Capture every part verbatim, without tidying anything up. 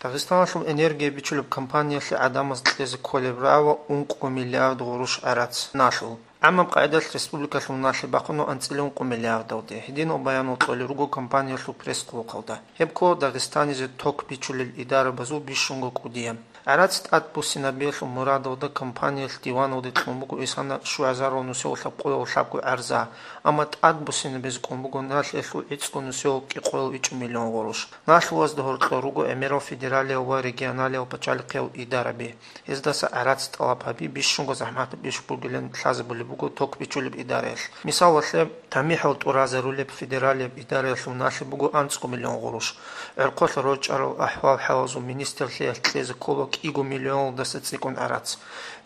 Дагъистаналъул энергия бичулеб компаниялъе гӀадамаз кьезе кколеб рагӀула ункъо миллиард гъурущ гӀарац налъул. ГӀамаб къагӀидалъ республикалъул налъи бахъуна анцӀила ункъо миллиардалде. Гьединал баянал кьолел руго компаниялъул пресс-хъулухъалда. Гьеб ккола Дагъистанизе ток бичулел идарабазул бищунго кӀудияб. ГӀарац тӀадбуссинабиялъул мурадалда компаниялъ диваналде кьун буго исана щугӀазарал нусиялъул лъабкъоялъул лъабго гӀарза, амма тӀадбуссинабизе кӀун буго налъиялъул гӀицӀго нусиялъул кӀикъоялъул ичӀго миллион гъурущ. Налъугьазда гьоркьор руго гӀемерал федералиял ва регионалиял пачалихъиял идараби. Гьездаса гӀарац тӀалаб гьаби бищунго захӀматаб иш бугилан лъазабулеб буго ток бичулеб идараялъ. Мисалалъе, тамихӀал тӀуразарулеб федералияб идараялъул налъи буго анцӀго миллион гъурущ. ГӀорхъолъа рорчӀарал ахӀвал-хӀалазул министрлъиялъ кьезе ккола кӀиго миллионалдаса цӀикӀкӀун гӀарац.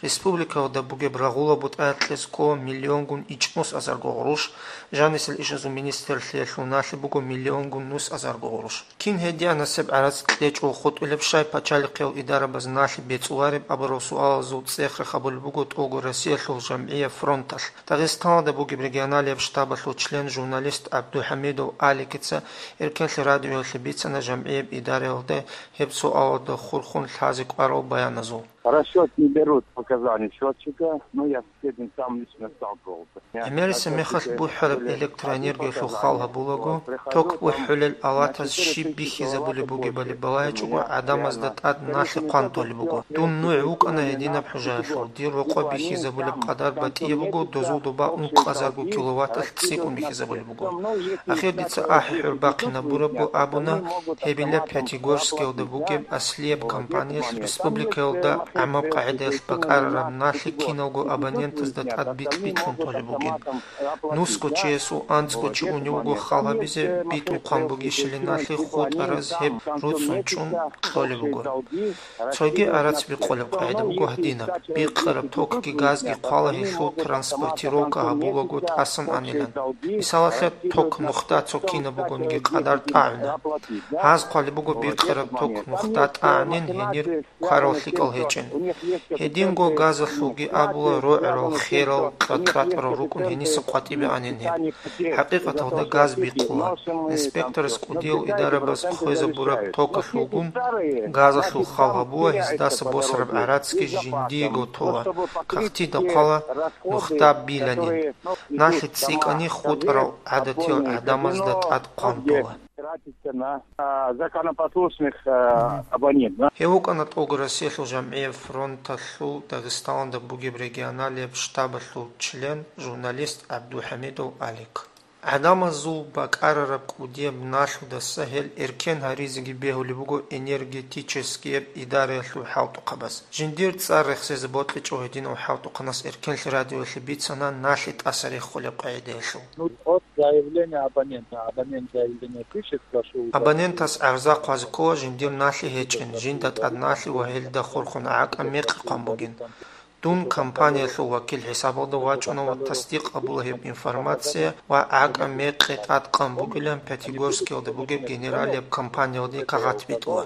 Республикалда бугеб рагъула бутӀаялъ кьезе ккола миллионгун ичӀнус азарго гъурущ, жанисел ишазул министрлъиялъул налъи буго миллионгун нус азарго гъурущ. Кин гьединасеб гӀарац кьечӀого хутӀулеб щай пачалихъиял идарабаз налъи бецӀулареб абурал суалазул цӀех рахъ гьабулеб буго тӀолго Россиялъул жамгӀияб фронталъ. Дагъистаналда бугеб регионалияб штабалъул член, журналист ГӀабдухӀамидов Аликица Эркенлъи радиоялъе бицана жамгӀияб идараялда гьеб суалалда хурхун лъазе кӀварал баяназул. Расчёт не берут показания счётчика, но я с этим сам лично сталкивался. ГӀемерисеб мехалъ бухӀараб электроэнергиялъул хал гьабулаго, ток бухӀулел алатаз щиб бихьизабулеб бугебали балайчӀого, гӀадамазда тӀад налъи хъван толеб буго. Дун нугӀ вукӀана гьединаб хӀужаялъул, дир рокъоб бихьизабулеб къадар батӀияб буго, дозул доба ункъазарго киловатталъ цӀикӀкӀун бихьизабулеб буго. Ахир дица ахӀи-хӀур бахъинабурабго абуна, гьебила Пятигорскиялда бугеб аслияб компаниялъ республикаялда гӀамаб къагӀидаялъ бакӀарараб налъи киналго абонентазда тӀад битӀ-битӀун толеб бугин. Нусго чиясул анцӀго чи унев вуго хал гьабизе, битӀухъан бугищали налъи хутӀараз гьеб руцӀцӀун чӀун кьолеб буго. Цоги гӀарац бикъулеб къагӀида буго гьадинаб: бикъараб токги газги хъвала гьелъул транспортировка гьабулаго тӀасан анилан. Мисалалъе, ток нухда цо кинаб бугониги къадар тӀагӀуна. Гьаз хъвалеб буго бикъараб ток нухда тӀагӀанин гьенир кварал лъикӀал гьечӀин. Гьединго газалъулги абула, рогӀарал, херал, кьатӀ-кьатӀарал рукӀун гьениса къватӀибе анин гьеб. ХӀакъикъаталда газ бикъула. Инспекторас кӀудиял идарабаз хвезабураб токалъулгун газалъул хал гьабула, гьездаса босараб гӀарацги жиндиего тола, кагътида хъвала нухда биланин. Налъи цӀикӀкӀани хутӀарал гӀадатиял гӀадамазда тӀад хъван тола. Тратится на, а, законопослушных, а, абонентов. Гьев вукӀана тӀолго Россиялъул жамгӀияб фронталъул Дагъистаналда бугеб регионалияб штабалъул член, журналист ГӀабдухӀамидов Алик. ГӀадамазул бакӀарараб кӀудияб налъудаса гьел эркен гьаризеги бегьулеб буго энергетическияб идараялъул хӀалтӀухъабаз. Жиндир цӀар рехсезе бокьичӀого гьединав хӀалтӀухъанас Эркенлъи радиоялъе бицана налъи тӀаса рехулеб къагӀидаялъул. Ну, от заявления абонента. Абонент заявление пишет, прошу. Абонентас гӀарза хъвазе ккола жиндир налъи гьечӀин, жинда тӀад налъи ва гьелда хурхун гӀакӀа мекъи хъван бугин. Дун компаниялъул вакил хӀисабалда вачӀуна ва тасдикъ гьабула гьеб информация ва гӀакӀа мекъи тӀадкъан бугилан Пятигорскиялда бугеб генералияб компаниялде кагъат битӀула.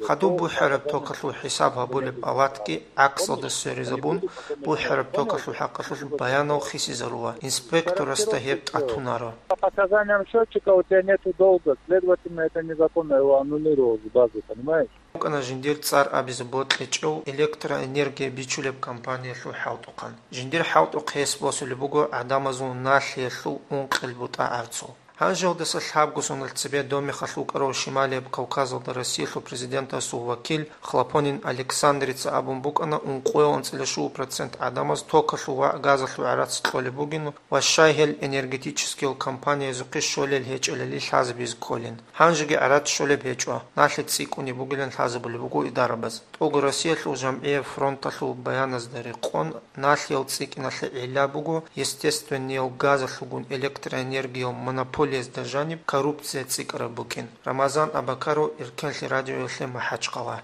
Хадуб бухӀараб токалъул хӀисаб гьабулеб алатги гӀаксалда сверизабун, бухӀараб токалъул хӀакъалъулъ баянал хисизарула, инспекторасда гьеб тӀатунаро. По показаниям счётчика у тебя нету долга, следовательно, это незаконно, его аннулировал с базы, понимаешь? ВукӀана жиндир цӀар абизе бокьичӀев электроэнергия бичулеб компаниялъул хӀалтӀухъан. Жиндир хӀалтӀухъ гьес босулеб буго гӀадамазул налъиялъул ункъел бутӀа гӀарцул. Гьанжеялдаса лъабго соналъ цебе Домехалъ вукӀарав Шималияб Кавказалда Россиялъул президентасул вакил Хлопонин Александрица абун букӀана, ункъоялда анцӀила щуго процент гӀадамаз токалъул ва газалъул гӀарац кьолеб бугин ва щай гьел энергетическиял компаниязухъе щолел гьечӀелали лъазабизе кколин. Гьанжеги гӀарац щолеб гьечӀо, налъи цӀикӀкӀунеб бугилан лъазабулеб буго идарабаз. ТӀолго Россиялъул жамгӀияб фронталъул баяназда рекъон, налъиял цӀикӀкӀиналъе гӀилла буго естественниял газалъулгун электроэнергиял монополиязда жаниб коррупция цӀикӀкӀараб букӀин. Рамазан Абакаров, Эркенлъи радиоялъе, МахӀачхъала.